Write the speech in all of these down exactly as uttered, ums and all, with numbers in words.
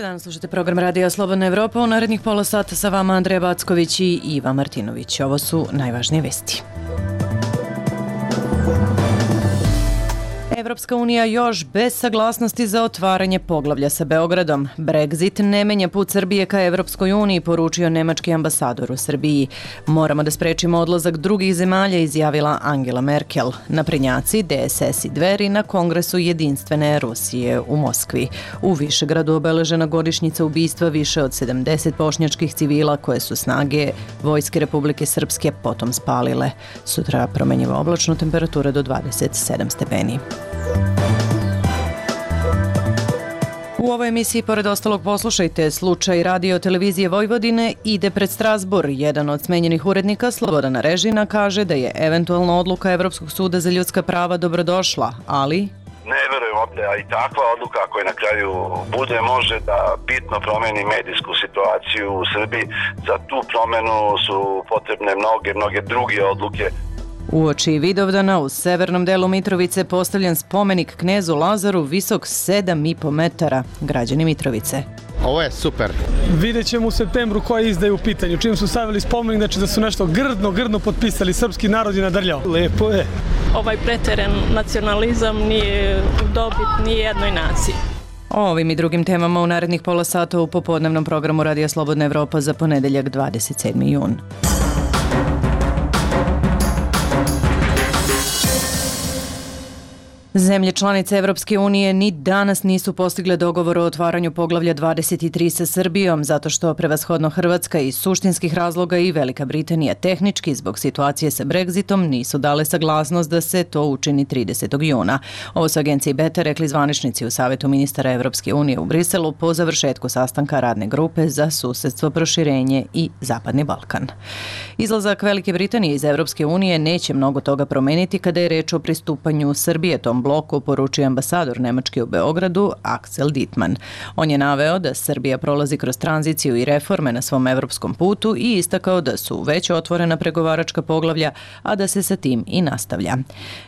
dan, slušate program Radija Slobodna Evropa. U narednih pola sata sa vama Andreja Backović i Iva Martinović. Ovo su najvažnije vesti. Evropska unija još bez saglasnosti za otvaranje poglavlja sa Beogradom. Brexit ne menja put Srbije ka Evropskoj uniji, poručio nemački ambasador u Srbiji. Moramo da sprečimo odlazak drugih zemalja, izjavila Angela Merkel. Naprednjaci, D S S i Dveri na Kongresu jedinstvene Rusije u Moskvi. U Višegradu obeležena godišnjica ubistva više od sedamdeset bošnjačkih civila koje su snage Vojske Republike Srpske potom spalile. Sutra promenjiva oblačno, temperatura do dvadeset sedam stepeni. U ovoj emisiji, pored ostalog, poslušajte slučaj Radio televizije Vojvodine ide pred Strazbur. Jedan od smenjenih urednika, Slobodan Režina, kaže da je eventualna odluka Evropskog suda za ljudska prava dobrodošla, ali... Ne verujem opet, a i takva odluka koja na kraju bude može da bitno promeni medijsku situaciju u Srbiji. Za tu promenu su potrebne mnoge, mnoge druge odluke. Uoči Vidovdana u severnom delu Mitrovice postavljen spomenik knezu Lazaru visok sedam i po metara. Građani Mitrovice. Ovo je super. Vidjet ćemo u septembru koje izdaju u pitanju. Čim su stavili spomenik, znači da su nešto grdno, grdno potpisali, srpski narod je nadrljao. Lepo je. Ovaj preteren nacionalizam nije dobit ni jednoj naciji. O ovim i drugim temama u narednih pola sata u popodnevnom programu Radija Slobodna Evropa za ponedeljak dvadeset sedmi jun. Zemlje članice Evropske unije ni danas nisu postigle dogovor o otvaranju poglavlja dvadeset tri sa Srbijom, zato što prevashodno Hrvatska iz suštinskih razloga i Velika Britanija tehnički zbog situacije sa Brexitom nisu dale saglasnost da se to učini tridesetog juna. Ovo su agenciji Beta rekli zvaničnici u Savetu ministara Evropske unije u Briselu po završetku sastanka radne grupe za susedstvo, proširenje i Zapadni Balkan. Izlazak Velike Britanije iz Evropske unije neće mnogo toga promeniti kada je reč o pristupanju Srbije tom bloku, poručio ambasador Nemačke u Beogradu Axel Dittmann. On je naveo da Srbija prolazi kroz tranziciju i reforme na svom evropskom putu i istakao da su već otvorena pregovaračka poglavlja, a da se sa tim i nastavlja.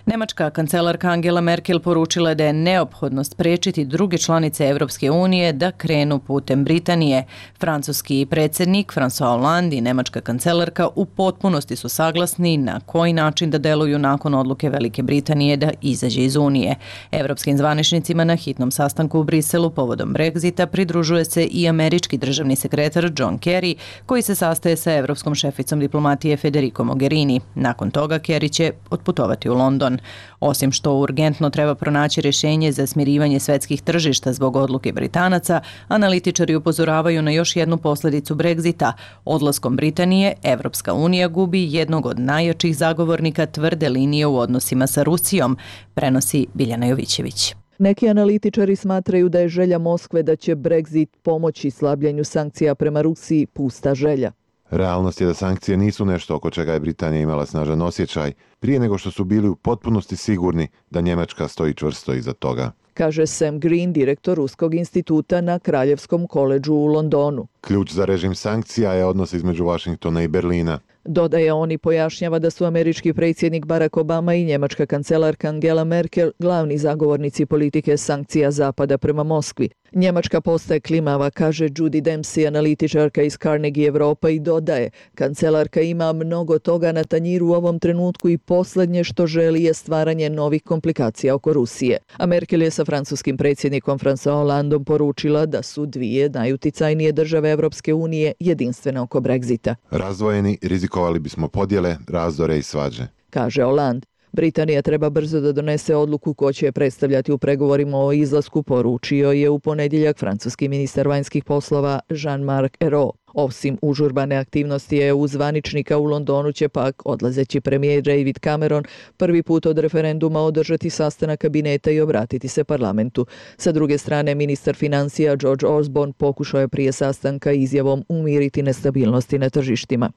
Nemačka kancelarka Angela Merkel poručila je da je neophodno sprečiti druge članice Evropske unije da krenu putem Britanije. Francuski predsjednik François Hollande i nemačka kancelarka u potpunosti su saglasni na koji način da deluju nakon odluke Velike Britanije da izađe iz Unije. Evropskim zvaničnicima na hitnom sastanku u Briselu povodom Brexita pridružuje se i američki državni sekretar John Kerry, koji se sastaje sa evropskom šeficom diplomatije Federico Mogherini. Nakon toga Kerry će otputovati u London. Osim što urgentno treba pronaći rješenje za smirivanje svetskih tržišta zbog odluke Britanaca, analitičari upozoravaju na još jednu posljedicu Brexita. Odlaskom Britanije, Evropska unija gubi jednog od najjačih zagovornika tvrde linije u odnosima sa Rusijom, prenosi Biljana Jovićević. Neki analitičari smatraju da je želja Moskve da će Brexit pomoći slabljenju sankcija prema Rusiji pusta želja. Realnost je da sankcije nisu nešto oko čega je Britanija imala snažan osjećaj, prije nego što su bili u potpunosti sigurni da Njemačka stoji čvrsto iza toga, kaže Sam Green, direktor Ruskog instituta na Kraljevskom koledžu u Londonu. Ključ za režim sankcija je odnos između Vašingtona i Berlina. Dodaje on i pojašnjava da su američki predsjednik Barack Obama i njemačka kancelarka Angela Merkel glavni zagovornici politike sankcija Zapada prema Moskvi. Njemačka postaje klimava, kaže Judy Dempsey, analitičarka iz Carnegie Europa, i dodaje: kancelarka ima mnogo toga na tanjiru u ovom trenutku i posljednje što želi je stvaranje novih komplikacija oko Rusije. A Merkel je sa francuskim predsjednikom François Hollandom poručila da su dvije najuticajnije države Evropske unije jedinstvene oko Brexita. Razdvojeni rizikovali bismo podjele, razdore i svađe, kaže Hollande. Britanija treba brzo da donese odluku ko će je predstavljati u pregovorima o izlasku, poručio je u ponedjeljak francuski ministar vanjskih poslova Jean-Marc Ayrault. Osim užurbane aktivnosti E U zvaničnika u Londonu će pak odlazeći premijer David Cameron prvi put od referenduma održati sastanak kabineta i obratiti se parlamentu. Sa druge strane, ministar financija George Osborne pokušao je prije sastanka izjavom umiriti nestabilnosti na tržištima.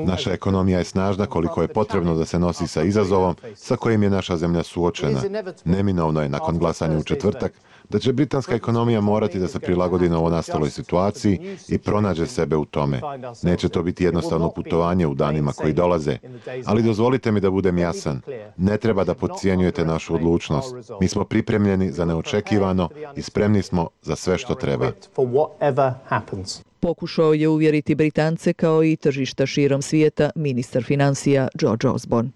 Naša ekonomija je snažna koliko je potrebno da se nosi sa izazovom sa kojim je naša zemlja suočena. Neminovno je nakon glasanja u četvrtak da će britanska ekonomija morati da se prilagodi novonastaloj situaciji situaciji i pronađe sebe u tome. Neće to biti jednostavno putovanje u danima koji dolaze, ali dozvolite mi da budem jasan. Ne treba da podcijenjujete našu odlučnost. Mi smo pripremljeni za neočekivano i spremni smo za sve što treba. Pokušao je uvjeriti Britance kao i tržišta širom svijeta ministar financija George Osborne.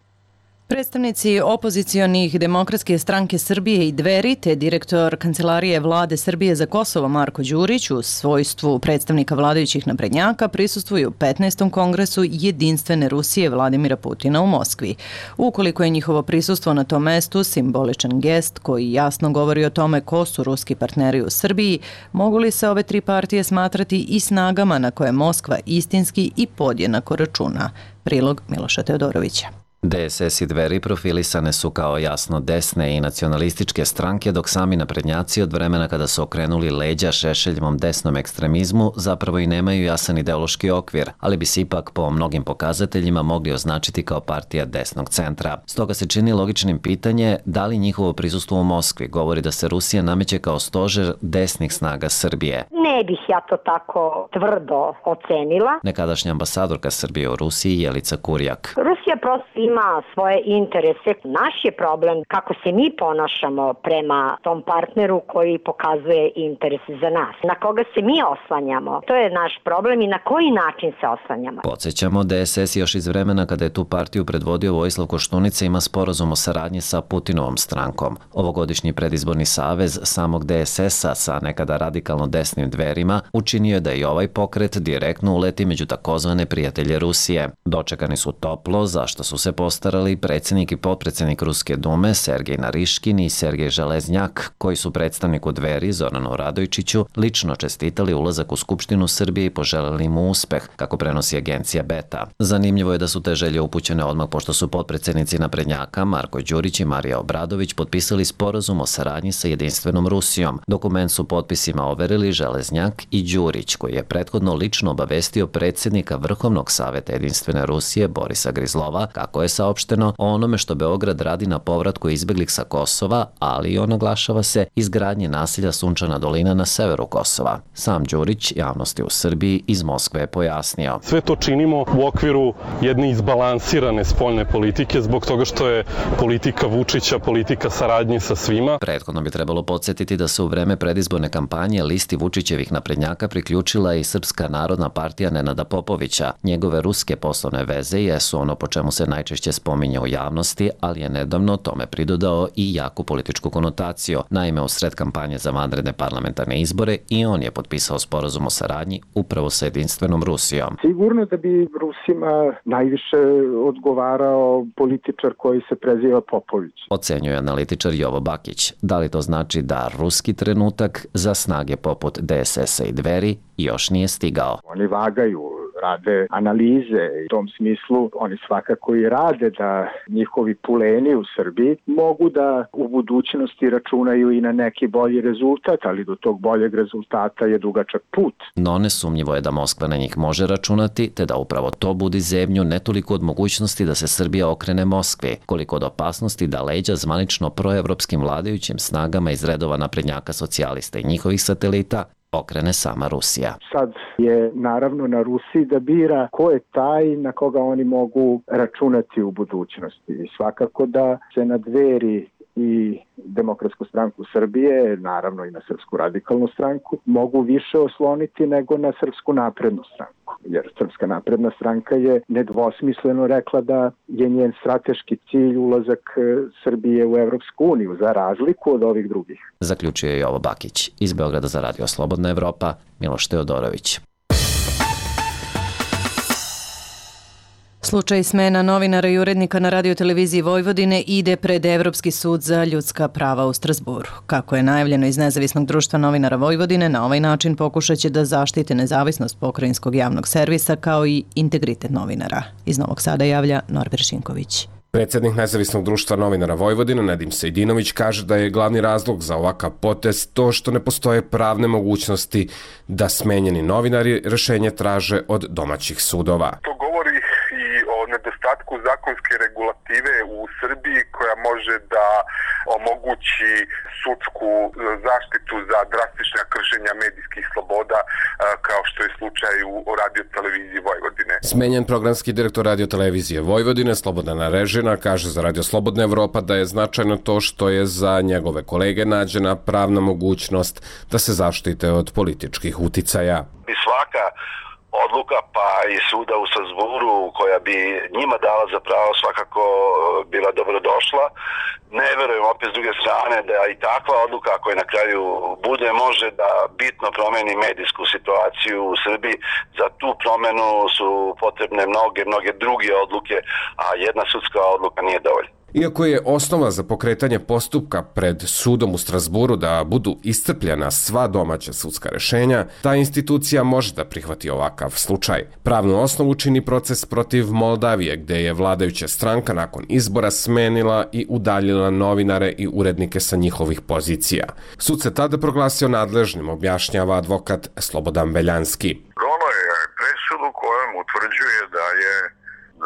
Predstavnici opozicionih Demokratske stranke Srbije i Dveri te direktor Kancelarije vlade Srbije za Kosovo Marko Đurić u svojstvu predstavnika vladajućih naprednjaka prisustvuju petnaestom kongresu Jedinstvene Rusije Vladimira Putina u Moskvi. Ukoliko je njihovo prisustvo na tom mestu simboličan gest koji jasno govori o tome ko su ruski partneri u Srbiji, mogu li se ove tri partije smatrati i snagama na koje Moskva istinski i podjednako računa? Prilog Miloša Teodorovića. D S S i Dveri profilisane su kao jasno desne i nacionalističke stranke, dok sami naprednjaci od vremena kada su okrenuli leđa Šešeljevom desnom ekstremizmu zapravo i nemaju jasan ideološki okvir, ali bi se ipak po mnogim pokazateljima mogli označiti kao partija desnog centra. Stoga se čini logičnim pitanje da li njihovo prisustvo u Moskvi govori da se Rusija nameće kao stožer desnih snaga Srbije. Ne bih ja to tako tvrdo ocenila. Nekadašnja ambasadorka Srbije u Rusiji Jelica Kurjak. Rusija prosto ima svoje interese. Naš je problem kako se mi ponašamo prema tom partneru koji pokazuje interese za nas. Na koga se mi oslanjamo, to je naš problem i na koji način se oslanjamo. Podsjećamo, D S S još iz vremena kada je tu partiju predvodio Vojislav Koštunica ima sporazum o saradnji sa Putinovom strankom. Ovogodišnji predizborni savez samog D S S-a sa nekada radikalno desnim Dverima učinio je da i ovaj pokret direktno uleti među takozvane prijatelje Rusije. Dočekani su toplo, zašto su se postarali predsjednik i potpredsjednik Ruske dume Sergej Nariškin i Sergej Železnjak, koji su predstavniku Dveri Zoranu Radojčiću lično čestitali ulazak u Skupštinu Srbije i poželeli mu uspeh, kako prenosi agencija Beta. Zanimljivo je da su te želje upućene odmah pošto su potpredsjednici naprednjaka Marko Đurić i Marija Obradović potpisali sporazum o saradnji sa Jedinstvenom Rusijom. Dokument su potpisima overili Železnjak i Đurić, koji je prethodno lično obavestio predsjednika Vrhovnog saveta Jedinstvene Rusije Borisa Grizlova, kako je saopšteno o onome što Beograd radi na povratku izbeglih sa Kosova, ali i naglašava se izgradnje naselja Sunčana dolina na severu Kosova. Sam Đurić javnosti u Srbiji iz Moskve je pojasnio. Sve to činimo u okviru jedne izbalansirane spoljne politike zbog toga što je politika Vučića politika saradnje sa svima. Prethodno bi trebalo podsjetiti da se u vreme predizborne kampanje listi Vučićevih naprednjaka priključila i Srpska narodna partija Nenada Popovića. Njegove ruske poslovne veze jesu ono po čemu se najčešće spominje u javnosti, ali je nedavno tome pridodao i jaku političku konotaciju. Naime, u sred kampanje za vanredne parlamentarne izbore i on je potpisao sporazum o saradnji upravo sa Jedinstvenom Rusijom. Sigurno da bi Rusima najviše odgovarao političar koji se preziva Popović. Ocenjuje analitičar Jovo Bakić. Da li to znači da ruski trenutak za snage poput D S S-a i Dveri još nije stigao? Oni vagaju, rade analize i u tom smislu oni svakako i rade da njihovi puleni u Srbiji mogu da u budućnosti računaju i na neki bolji rezultat, ali do tog boljeg rezultata je dugačak put. No nesumnjivo je da Moskva na njih može računati, te da upravo to budi zebnju ne toliko od mogućnosti da se Srbija okrene Moskvi, koliko od opasnosti da leđa zvanično proevropskim vladajućim snagama iz redova naprednjaka socijalista i njihovih satelita okrene sama Rusija. Sad je naravno na Rusiji da bira ko je taj na koga oni mogu računati u budućnosti. I svakako da se na Dveri i Demokratsku stranku Srbije, naravno i na Srpsku radikalnu stranku, mogu više osloniti nego na Srpsku naprednu stranku. Jer Srpska napredna stranka je nedvosmisleno rekla da je njen strateški cilj ulazak Srbije u Evropsku uniju, za razliku od ovih drugih. Zaključio je Jovo Bakić. Iz Beograda za Radio Slobodna Evropa, Miloš Teodorović. Slučaj smena novinara i urednika na radioteleviziji Vojvodine ide pred Evropski sud za ljudska prava u Strasburu. Kako je najavljeno iz Nezavisnog društva novinara Vojvodine, na ovaj način pokušat će da zaštite nezavisnost pokrajinskog javnog servisa kao i integritet novinara. Iz Novog Sada javlja Norbert Šinković. Predsjednik Nezavisnog društva novinara Vojvodine Nedim Sejdinović kaže da je glavni razlog za ovakav potez to što ne postoje pravne mogućnosti da smenjeni novinari rješenje traže od domaćih sudova. To govori i o nedostatku zakonske regulative u Srbiji koja može da omogući sudsku zaštitu za drastična kršenja medijskih sloboda Smenjen programski direktor radiotelevizije Vojvodine Slobodan Arežina kaže za Radio Slobodna Evropa da je značajno to što je za njegove kolege nađena pravna mogućnost da se zaštite od političkih uticaja. I svaka odluka pa i suda u Strasburu koja bi njima dala za pravo svakako bila dobrodošla. Ne verujem opet s druge strane da i takva odluka koja na kraju bude može da bitno promeni medijsku situaciju u Srbiji. Za tu promenu su potrebne mnoge, mnoge druge odluke, a jedna sudska odluka nije dovoljna. Iako je osnova za pokretanje postupka pred sudom u Strasburu da budu iscrpljena sva domaća sudska rešenja, ta institucija može da prihvati ovakav slučaj. Pravnu osnovu čini proces protiv Moldavije, gde je vladajuća stranka nakon izbora smenila i udaljila novinare i urednike sa njihovih pozicija. Sud se tada proglasio nadležnim, objašnjava advokat Slobodan Beljanski. Ono je presudu kojom utvrđuje da je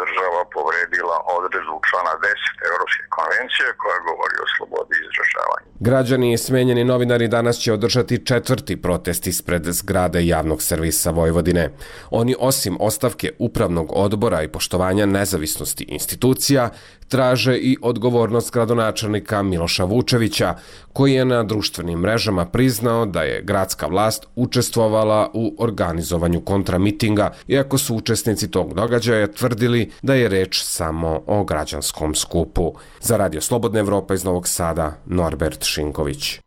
država povredila odredbu člana deset Evropske konvencije koja govori o slobodi izražavanja. Građani i smenjeni novinari danas će održati četvrti protest ispred zgrade javnog servisa Vojvodine. Oni osim ostavke upravnog odbora i poštovanja nezavisnosti institucija, traže i odgovornost gradonačelnika Miloša Vučevića, koji je na društvenim mrežama priznao da je gradska vlast učestvovala u organizovanju kontramitinga, iako su učesnici tog događaja tvrdili da je reč samo o građanskom skupu. Za Radio Slobodna Evropa iz Novog Sada, Norbert Šinković.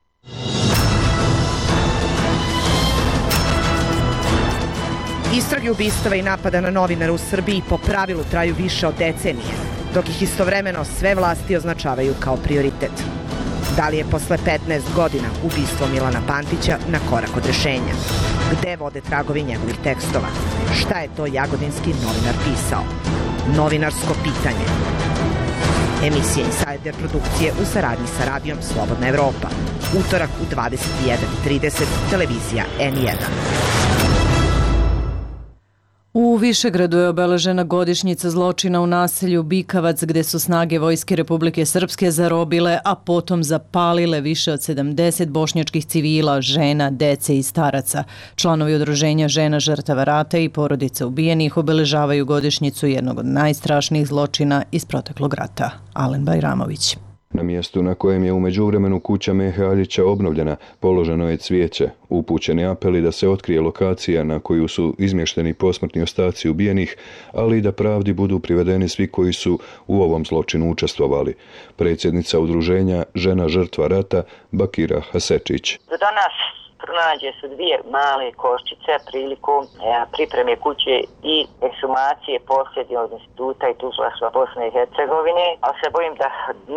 Istrage ubistava i napada na novinara u Srbiji po pravilu traju više od decenije, dok ih istovremeno sve vlasti označavaju kao prioritet. Da li je posle petnaest godina ubistvo Milana Pantića na korak od rešenja? Gde vode tragovi njegovih tekstova? Šta je to jagodinski novinar pisao? Novinarsko pitanje. Emisija Insider produkcije u saradnji sa radijom Slobodna Evropa. Utorak u dvadeset jedan trideset, televizija N jedan. U Višegradu je obeležena godišnjica zločina u naselju Bikavac, gde su snage Vojske Republike Srpske zarobile, a potom zapalile više od sedamdeset bošnjačkih civila, žena, dece i staraca. Članovi udruženja žena žrtava rata i porodice ubijenih obeležavaju godišnjicu jednog od najstrašnijih zločina iz proteklog rata. Alen Bajramović. Na mjestu na kojem je u međuvremenu kuća Mehe Aljića obnovljena, položeno je cvijeće, upućeni apeli da se otkrije lokacija na koju su izmješteni posmrtni ostaci ubijenih, ali i da pravdi budu privedeni svi koji su u ovom zločinu učestvovali. Predsjednica udruženja žena žrtva rata Bakira Hasečić. Do danas pronađe su dvije male koščice prilikom e, pripreme kuće i ekshumacije posljednjeg instituta i tužilaštva Bosne i Hercegovine, ali se bojim da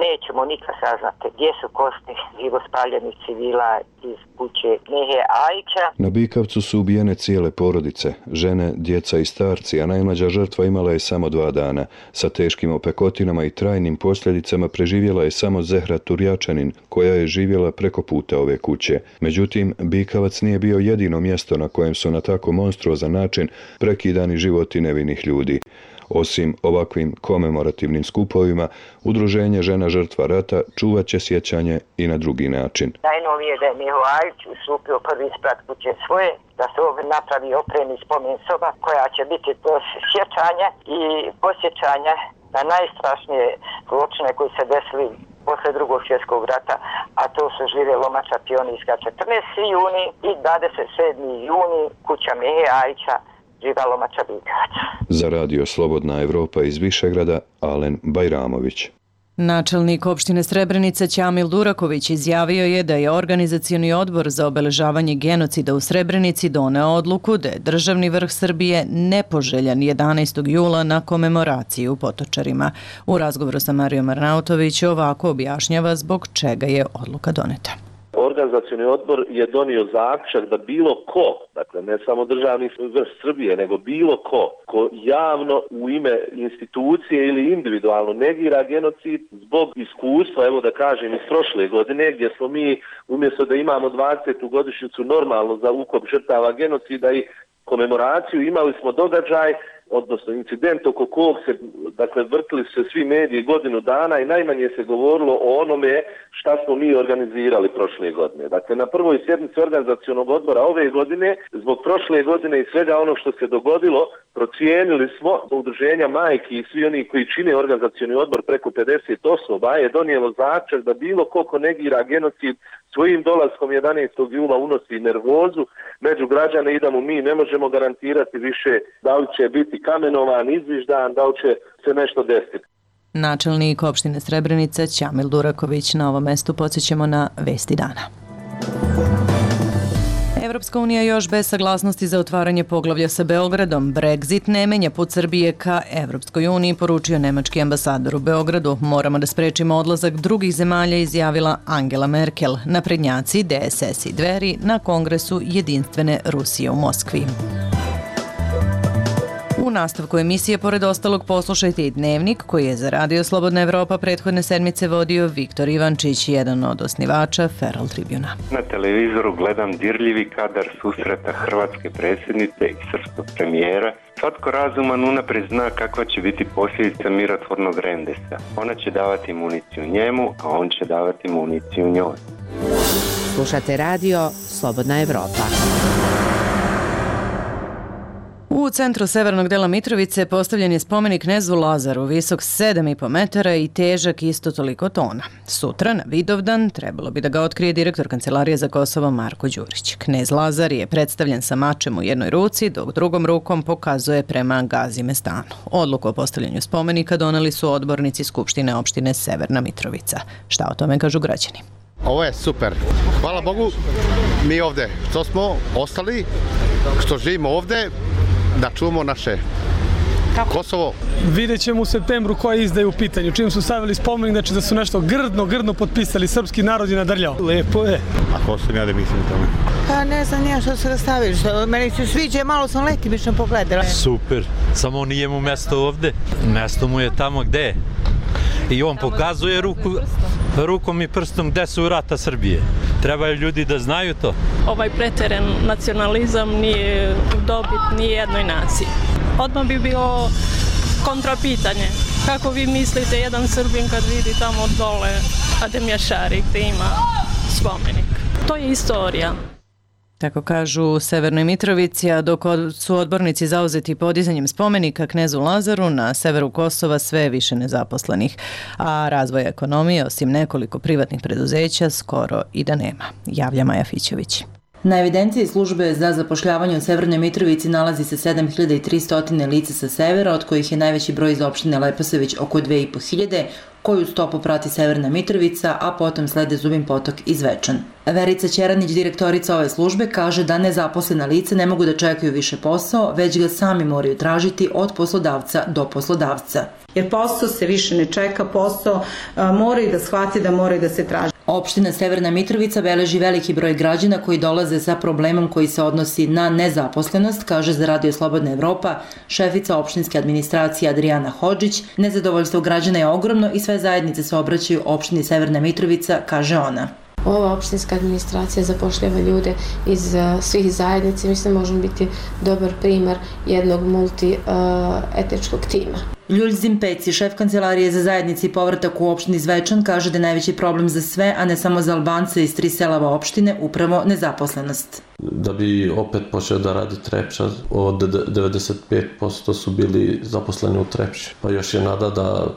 nećemo nikad saznati gdje su kosti živo spaljenih civila iz kuće Mehe Aljića. Na Bikavcu su ubijene cijele porodice, žene, djeca i starci, a najmlađa žrtva imala je samo dva dana. Sa teškim opekotinama i trajnim posljedicama preživjela je samo Zehra Turjačanin, koja je živjela preko puta ove kuće. Međutim, Bikavac nije bio jedino mjesto na kojem su na tako monstruozan način prekidani životi nevinih ljudi. Osim ovakvim komemorativnim skupovima, udruženje žena žrtva rata čuvat će sjećanje i na drugi način. Najnovije da je Meho Aljić ustupio prvi sprat kuće svoje, da se ovdje napravi opremni spomen soba koja će biti to sjećanje i posjećanje na najstrašnije zločine koji se desili posle drugog svjetskog rata, a to su žire lomača pionijska četrnaesti juni i dvadeset sedmi juni kuća Mehe Aljića, živa lomača Bikavac. Za Radio Slobodna Evropa iz Višegrada, Alen Bajramović. Načelnik opštine Srebrenica Ćamil Duraković izjavio je da je organizacioni odbor za obeležavanje genocida u Srebrenici doneo odluku da je državni vrh Srbije nepoželjan jedanaestog jula na komemoraciji u Potočarima. U razgovoru sa Marijom Arnautović ovako objašnjava zbog čega je odluka doneta. Organizacioni odbor je donio zaključak da bilo ko, dakle ne samo državni vrh Srbije, nego bilo ko, ko javno u ime institucije ili individualno negira genocid zbog iskustva, evo da kažem, iz prošle godine, gdje smo mi umjesto da imamo dvadesetu godišnjicu normalno za ukop žrtava genocida i komemoraciju, imali smo događaj odnosno incident oko kog se, dakle, vrtili se svi mediji godinu dana i najmanje se govorilo o onome šta smo mi organizirali prošle godine. Dakle, na prvoj sjednici organizacionog odbora ove godine, zbog prošle godine i svega ono što se dogodilo, procijenili smo, udruženja majki i svi oni koji čine organizacioni odbor preko pedeset osoba je donijelo zaključak da bilo ko ko negira genocid svojim dolaskom jedanaestog jula unosi nervozu među građane i da mu mi ne možemo garantirati više da li će biti kamenovan, izviždan, da li će se nešto desiti. Načelnik opštine Srebrenica Ćamil Duraković. Na ovom mestu podsjećamo na vesti dana. Evropska unija još bez saglasnosti za otvaranje poglavlja sa Beogradom. Brexit ne menja put Srbije ka Evropskoj uniji, poručio nemački ambasador u Beogradu. Moramo da sprečimo odlazak drugih zemalja, izjavila Angela Merkel. Naprednjaci, D S S i Dveri na kongresu Jedinstvene Rusije u Moskvi. U nastavku emisije, pored ostalog, poslušajte i Dnevnik, koji je za Radio Slobodna Evropa prethodne sedmice vodio Viktor Ivančić, jedan od osnivača Feral Tribuna. Na televizoru gledam dirljivi kadar susreta hrvatske predsjednice i srpskog premijera. Svatko razuman unaprijed zna kakva će biti posljedica mirotvornog rendesa. Ona će davati municiju njemu, a on će davati municiju njoj. Slušate Radio Slobodna Evropa. U centru severnog dela Mitrovice postavljen je spomenik knezu Lazaru, visok sedam i po metara i težak isto toliko tona. Sutra, na Vidovdan, trebalo bi da ga otkrije direktor Kancelarije za Kosovo Marko Đurić. Knez Lazar je predstavljen sa mačem u jednoj ruci, dok drugom rukom pokazuje prema Gazi Mestanu. Odluku o postavljanju spomenika doneli su odbornici Skupštine opštine Severna Mitrovica. Šta o tome kažu građani? Ovo je super. Hvala Bogu, mi ovde što smo ostali, što živimo ovde, da čuvamo naše Kosovo. Vidjet ćemo u septembru koja izda je u pitanju. Čim su stavili spomenik, znači da su nešto grdno, grdno potpisali, srpski narod je nadrljao. Lepo je. A ko sam ja da mislim o tome? Pa ne znam nija što se da stavili. Što meni se sviđa, malo sam letimično pogledala. Super, samo nije mu mesto ovde. Mesto mu je tamo gde je. I on pokazuje ruku, rukom i prstom gde su vrata Srbije. Trebaju ljudi da znaju to. Ovaj preteren nacionalizam nije dobit ni jednoj naciji. Odmah bi bilo kontrapitanje. Kako vi mislite jedan Srbin kad vidi tamo dole Ademjašari gde ima spomenik? To je istorija. Tako kažu u Severnoj Mitrovici, a dok su odbornici zauzeti podizanjem spomenika knezu Lazaru, na severu Kosova sve više nezaposlenih, a razvoja ekonomije, osim nekoliko privatnih preduzeća, skoro i da nema, javlja Maja Fićević. Na evidenciji službe za zapošljavanje u Severnoj Mitrovici nalazi se sedam hiljada tristo lica sa severa, od kojih je najveći broj iz opštine Leposavić oko dve i po hiljade, koju stopu prati Severna Mitrovica, a potom slede Zubin Potok i Zvečan. Verica Ćeranić, direktorica ove službe, kaže da nezaposlena lica ne mogu da čekaju više posao, već ga sami moraju tražiti od poslodavca do poslodavca. Jer posao se više ne čeka, posao moraju da shvati da moraju da se traži. Opština Severna Mitrovica beleži veliki broj građana koji dolaze sa problemom koji se odnosi na nezaposlenost, kaže za Radio Slobodna Evropa šefica opštinske administracije Adrijana Hodžić. Nezadovoljstvo građana je ogromno i sve zajednice se obraćaju opštini Severna Mitrovica, kaže ona. Ova opštinska administracija zapošljava ljude iz uh, svih zajednica. Mislim da možemo biti dobar primer jednog multietničkog uh, tima. Ljulj Zimpeci, šef Kancelarije za zajednici i povratak u opštini Zvečan, kaže da je najveći problem za sve, a ne samo za Albance iz tri selava opštine, upravo nezaposlenost. Da bi opet počeo da radi Trepča, od devedeset pet posto su bili zaposleni u Trepči. Pa još je nada da,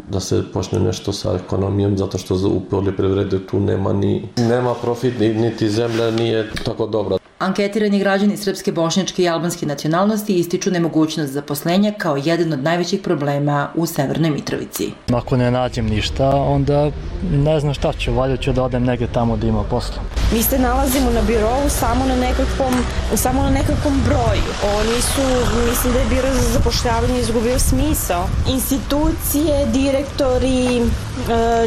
da se počne nešto sa ekonomijom, zato što u poljoprivredi tu nema ni nema profit, niti zemlja nije tako dobra. Anketirani građani srpske, bošnjačke i albanske nacionalnosti ističu nemogućnost zaposlenja kao jedan od najvećih problema u Severnoj Mitrovici. Ako ne nađem ništa, onda ne znam šta ću, valjda ću da odem negdje tamo da ima posla. Mi se nalazimo na birovu samo na nekakvom, samo na nekakvom broju. Oni su, mislim da je biro za zapošljavanje izgubio smisao. Institucije, direktori,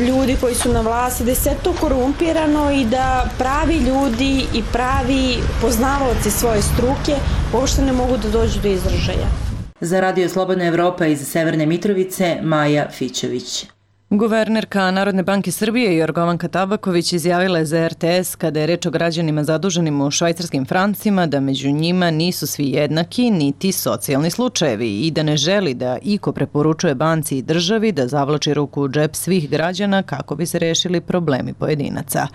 ljudi koji su na vlasti, da je sve to korumpirano i da pravi ljudi i pravi poznavaoci svoje struke uopšte ne mogu da dođu do izražaja. Za Radio Slobodna Evropa iz Severne Mitrovice, Maja Fićević. Guvernerka Narodne banke Srbije Jorgovanka Tabaković izjavila je za er te es kada je reč o građanima zaduženim u švajcarskim francima da među njima nisu svi jednaki niti socijalni slučajevi i da ne želi da iko preporučuje banci i državi da zavlači ruku u džep svih građana kako bi se rešili problemi pojedinaca.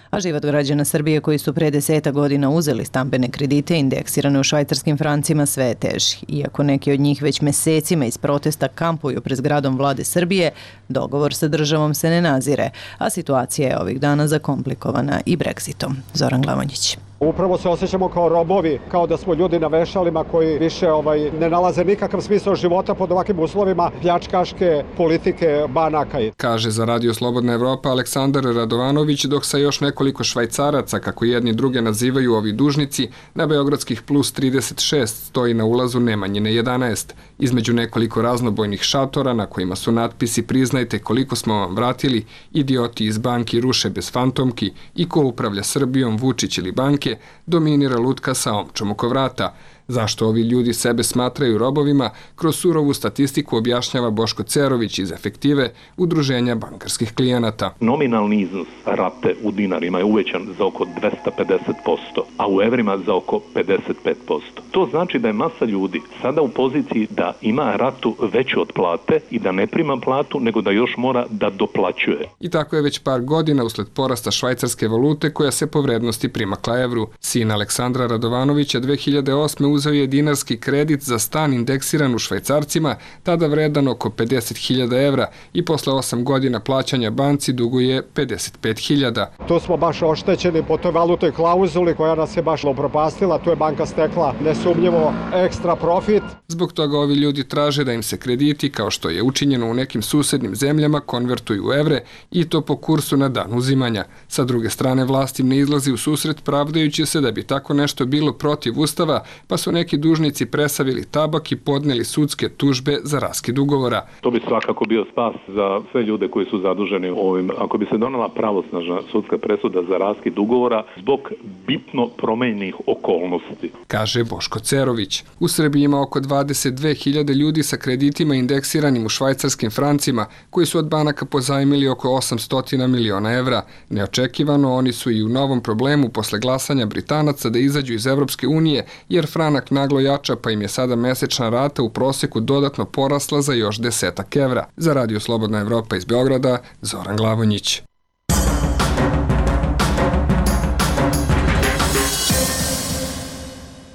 A život građana Srbije koji su pre deseta godina uzeli stambene kredite indeksirane u švajcarskim francima sve je teži. Iako neki od njih već mesecima iz protesta kampuju pred zgradom vlade Srbije, dogovor sa državom se ne nazire, a situacija je ovih dana zakomplikovana i Brexitom. Zoran Glavanjić. Upravo se osjećamo kao robovi, kao da smo ljudi na vešalima koji više ovaj, ne nalaze nikakav smisao života pod ovakvim uslovima pljačkaške politike banaka. Kaže za Radio Slobodna Evropa Aleksandar Radovanović, dok sa još nekoliko švajcaraca, kako jedni druge nazivaju ovi dužnici, na beogradskih plus trideset šest stoji na ulazu Nemanjine jedanaest. Između nekoliko raznobojnih šatora na kojima su natpisi "Priznajte koliko smo vam vratili", "Idioti iz banki ruše bez fantomki" i "Ko upravlja Srbijom, Vučić ili banke", dominira lutka sa omčom oko vrata. Zašto ovi ljudi sebe smatraju robovima, kroz surovu statistiku objašnjava Boško Cerović iz Efektive, Udruženja bankarskih klijenata. Nominalni iznos rate u dinarima je uvećan za oko dvesta pedeset posto, a u evrima za oko pedeset pet posto. To znači da je masa ljudi sada u poziciji da ima ratu veću od plate i da ne prima platu, nego da još mora da doplaćuje. I tako je već par godina usled porasta švajcarske valute koja se po vrednosti primakla evru. Sin Aleksandra Radovanovića dve hiljade osme uzeo je dinarski kredit za stan indeksiran u švajcarcima, tada vredan oko pedeset hiljada evra i posle osam godina plaćanja banci duguje pedeset pet hiljada. Tu smo baš oštećeni po toj valutnoj klauzuli koja nas je baš upropastila, tu je banka stekla nesumnjivo ekstra profit. Zbog toga ovi ljudi traže da im se krediti, kao što je učinjeno u nekim susednim zemljama, konvertuju u evre i to po kursu na dan uzimanja. Sa druge strane, vlast im ne izlazi u susret pravdajući se da bi tako nešto bilo protiv ustava, pa su neki dužnici presavili tabak i podneli sudske tužbe za raskid ugovora. To bi svakako bio spas za sve ljude koji su zaduženi ovim. Ako bi se donela pravosnažna sudska presuda za raskid ugovora zbog bitno promenjenih okolnosti. Kaže Boško Cerović. U Srbiji ima oko dvadeset dve hiljade ljudi sa kreditima indeksiranim u švajcarskim francima, koji su od banaka pozajmili oko osamsto miliona evra. Neočekivano, oni su i u novom problemu posle glasanja Britanaca da izađu iz Evropske unije, jer franak naglo jača, pa im je sada mesečna rata u proseku dodatno porasla za još desetak evra. Za Radio Slobodna Evropa iz Beograda, Zoran Glavonjić.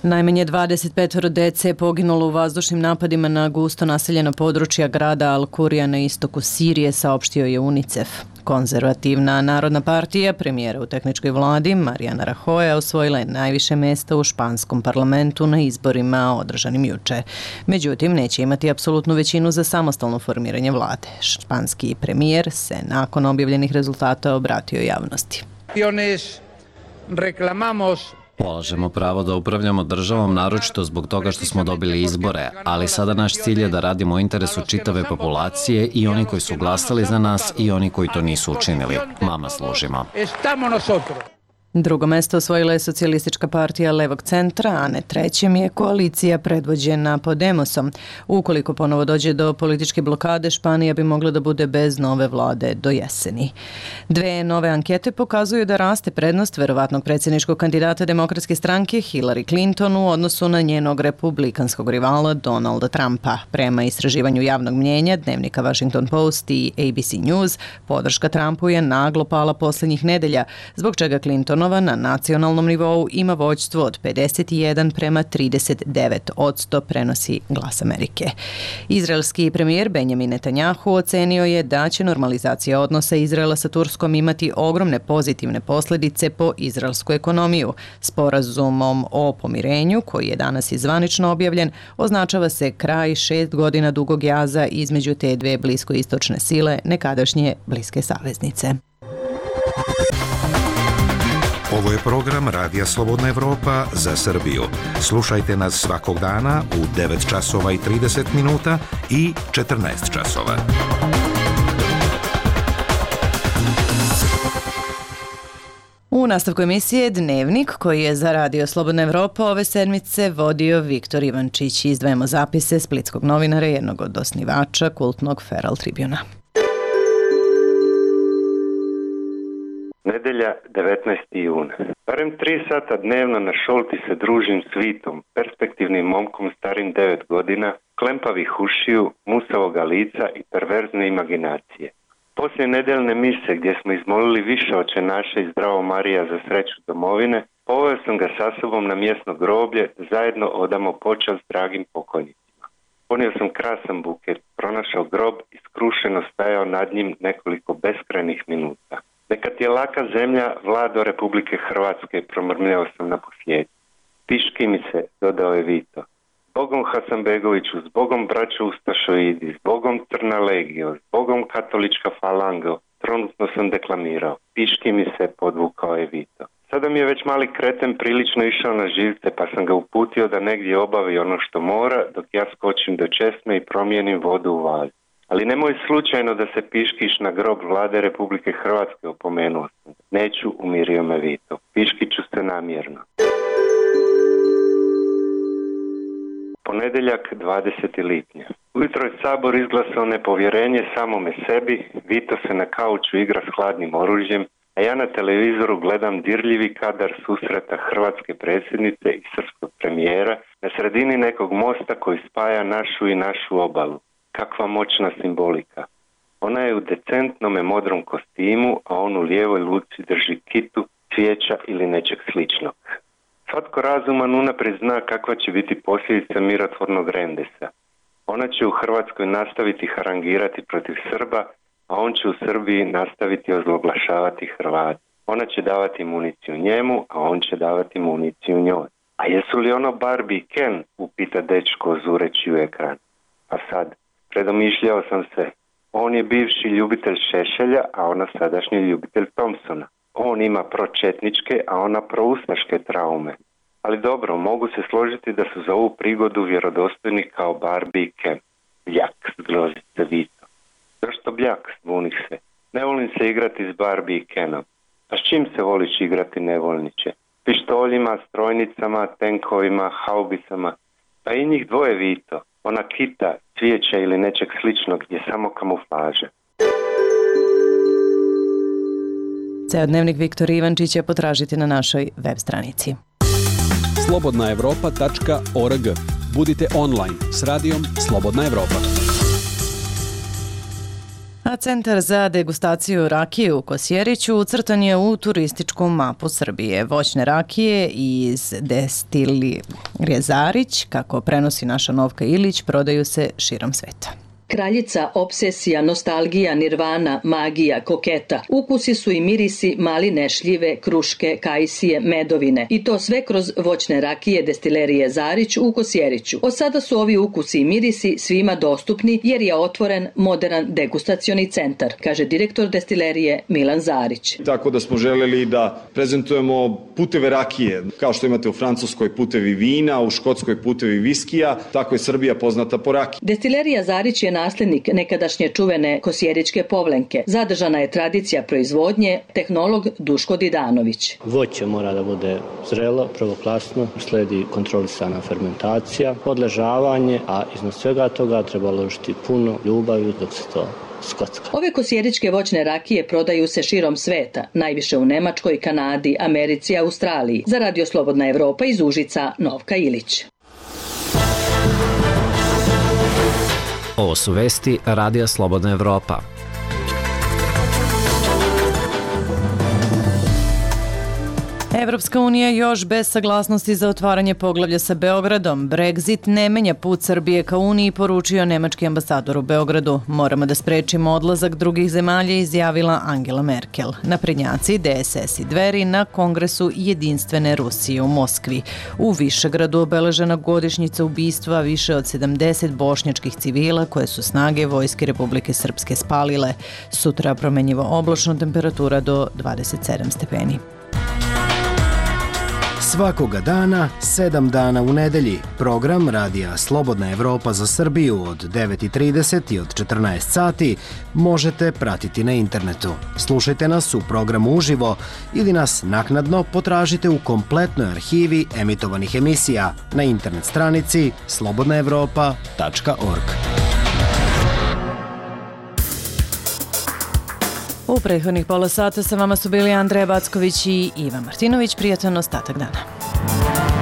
Najmanje dvadeset pet dece je poginulo u vazdušnim napadima na gusto naseljena područja grada Al-Kurija na istoku Sirije, saopštio je UNICEF. Konzervativna Narodna partija, premijera u tehničkoj vladi, Mariana Rajoja, osvojila je najviše mesta u španskom parlamentu na izborima održanim juče. Međutim, neće imati apsolutnu većinu za samostalno formiranje vlade. Španski premijer se nakon objavljenih rezultata obratio javnosti. Reclamamos Polažemo pravo da upravljamo državom, naročito zbog toga što smo dobili izbore, ali sada naš cilj je da radimo u interesu čitave populacije i oni koji su glasali za nas i oni koji to nisu učinili. Vama služimo. Drugo mesto osvojila je socijalistička partija levog centra, a na trećem je koalicija predvođena Podemosom. Ukoliko ponovo dođe do političke blokade, Španija bi mogla da bude bez nove vlade do jeseni. Dve nove ankete pokazuju da raste prednost verovatnog predsjedničkog kandidata demokratske stranke Hillary Clinton u odnosu na njenog republikanskog rivala Donalda Trumpa. Prema istraživanju javnog mnjenja dnevnika Washington Post i A B C News, podrška Trumpu je naglo pala posljednjih nedelja, zbog čega Clinton na nacionalnom nivou ima vođstvo od pedeset jedan prema trideset devet odsto, prenosi Glas Amerike. Izraelski premijer Benjamin Netanjahu ocenio je da će normalizacija odnosa Izraela sa Turskom imati ogromne pozitivne posljedice po izraelsku ekonomiju. Sporazumom o pomirenju, koji je danas i zvanično objavljen, označava se kraj šest godina dugog jaza između te dve bliskoistočne sile, nekadašnje bliske saveznice. Ovo je program Radija Slobodna Evropa za Srbiju. Slušajte nas svakog dana u devet časova i trideset minuta i četrnaest časova. U nastavku emisije Dnevnik, koji je za Radio Slobodna Evropa ove sedmice vodio Viktor Ivančić. Izdvajamo zapise splitskog novinara, jednog od osnivača kultnog Feral Tribuna. Nedelja, devetnaesti jun. Barem tri sata dnevno na šolti se družim s Vitom, perspektivnim momkom starim devet godina, klempavih ušiju, musavoga lica i perverzne imaginacije. Poslije nedeljne mise gdje smo izmolili više oče naše i zdravo Marija za sreću domovine, poveo sam ga sa sobom na mjesno groblje, zajedno odamo počast dragim pokojnicima. Ponio sam krasan buket, pronašao grob i skrušeno stajao nad njim nekoliko beskrajnih minuta. Neka ti je laka zemlja, Vlado Republike Hrvatske, promrmljao sam na posljedku. Piški mi se, dodao je Vito. Zbogom Hasanbegoviću, zbogom braćo Ustašoidi, zbogom Crna legio, zbogom Katolička falango, trenutno sam deklamirao. Piški mi se, podvukao je Vito. Sada mi je već mali kreten prilično išao na živce, pa sam ga uputio da negdje obavi ono što mora, dok ja skočim do česme i promijenim vodu u valj. Ali nemoj slučajno da se piškiš na grob Vlade Republike Hrvatske, opomenuo sam. Neću, umirio me Vito. Piškiću se namjerno. Ponedeljak, dvadesetog lipnja. Ujutro je Sabor izglasao nepovjerenje samome sebi, Vito se na kauču igra s hladnim oružjem, a ja na televizoru gledam dirljivi kadar susreta hrvatske predsjednice i srpskog premijera na sredini nekog mosta koji spaja našu i našu obalu. Kakva moćna simbolika. Ona je u decentnome modrom kostimu, a on u lijevoj luci drži kitu, cvijeća ili nečeg sličnog. Svatko razuman unaprijed zna kakva će biti posljedica mirotvornog rendesa. Ona će u Hrvatskoj nastaviti harangirati protiv Srba, a on će u Srbiji nastaviti ozloglašavati Hrvate. Ona će davati municiju njemu, a on će davati municiju njoj. A jesu li ono Barbie i Ken, upita dečko zureći u ekran. A sad, predomišljao sam se. On je bivši ljubitelj Šešelja, a ona sadašnji ljubitelj Thompsona. On ima pročetničke, a ona proustaške traume. Ali dobro, mogu se složiti da su za ovu prigodu vjerodostojni kao Barbie i Ken. Bljak, zgrozi se Vito. Zašto bljak, zbunih se? Ne volim se igrati s Barbie i Kenom. A s čim se voliš igrati, nevoljniče? Pištoljima, strojnicama, tenkovima, haubicama. Pa i njih dvoje, Vito. Ona kita, cvijeća ili nečeg sličnog je samo kamuflaža. Ceo dnevnik Viktor Ivančića potražite na našoj web stranici. slobodna evropa tačka org. Budite online s radijom Slobodna Evropa. A Centar za degustaciju rakije u Kosjeriću ucrtan je u turističku mapu Srbije. Voćne rakije iz Destilirije Zarić, kako prenosi naša Novka Ilić, prodaju se širom sveta. Kraljica, obsesija, nostalgija, nirvana, magija, koketa. Ukusi su i mirisi maline, šljive, kruške, kajsije, medovine. I to sve kroz voćne rakije Destilerije Zarić u Kosjeriću. Od sada su ovi ukusi i mirisi svima dostupni jer je otvoren moderan degustacioni centar, kaže direktor Destilerije Milan Zarić. Tako da smo želeli da prezentujemo puteve rakije. Kao što imate u Francuskoj putevi vina, u Škotskoj putevi viskija, tako je Srbija poznata po rakiji. Destilerija Zarić je naslednik nekadašnje čuvene kosjeričke povlenke. Zadržana je tradicija proizvodnje, tehnolog Duško Didanović. Voće mora da bude zrelo, prvoklasno, sledi kontrolisana fermentacija, odležavanje, a iznad svega toga treba ložiti puno ljubavi dok se to skocka. Ove kosjeričke voćne rakije prodaju se širom sveta, najviše u Nemačkoj, Kanadi, Americi i Australiji. Za Radio Slobodna Evropa iz Užica, Novka Ilić. Ovo su vesti Radija Slobodna Evropa. Evropska unija još bez saglasnosti za otvaranje poglavlja sa Beogradom. Brexit ne menja put Srbije ka Uniji, poručio nemački ambasador u Beogradu. Moramo da sprečimo odlazak drugih zemalja, izjavila Angela Merkel. Naprednjaci, D S S i Dveri na kongresu Jedinstvene Rusije u Moskvi. U Višegradu obeležena godišnjica ubistva više od sedamdeset bošnjačkih civila koje su snage Vojske Republike Srpske spalile. Sutra promenjivo oblačno, temperatura do dvadeset sedam stepeni. Svakoga dana, sedam dana u nedelji. Program Radija Slobodna Evropa za Srbiju od devet i trideset i od četrnaest sati možete pratiti na internetu. Slušajte nas u programu uživo ili nas naknadno potražite u kompletnoj arhivi emitovanih emisija na internet stranici slobodna evropa tačka org. U U prethodnih pola sata sa vama su bili Andreja Backović i Iva Martinović. Prijatan ostatak dana.